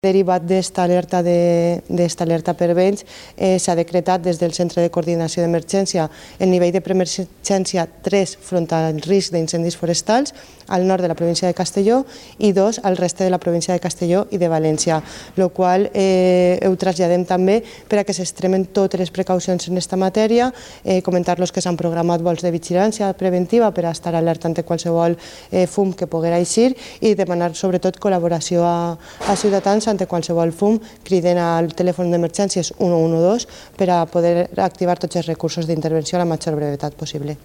Derivat d'esta alerta per vents, s'ha decretat des del Centre de Coordinació d'Emergència el nivell de preemergència 3 front al risc d'incendis forestals al nord de la província de Castelló i 2 al reste de la província de Castelló i de València, el qual ho traslladem també per a que s'extremen totes les precaucions en aquesta matèria, comentar-los que s'han programat vols de vigilància preventiva per a estar alerta ante qualsevol fum que poguera eixir i demanar sobretot col·laboració a ciutadans ante qualsevol fum, criden al telèfon d'emergències 112 per a poder activar tots els recursos d'intervenció a la major brevetat possible.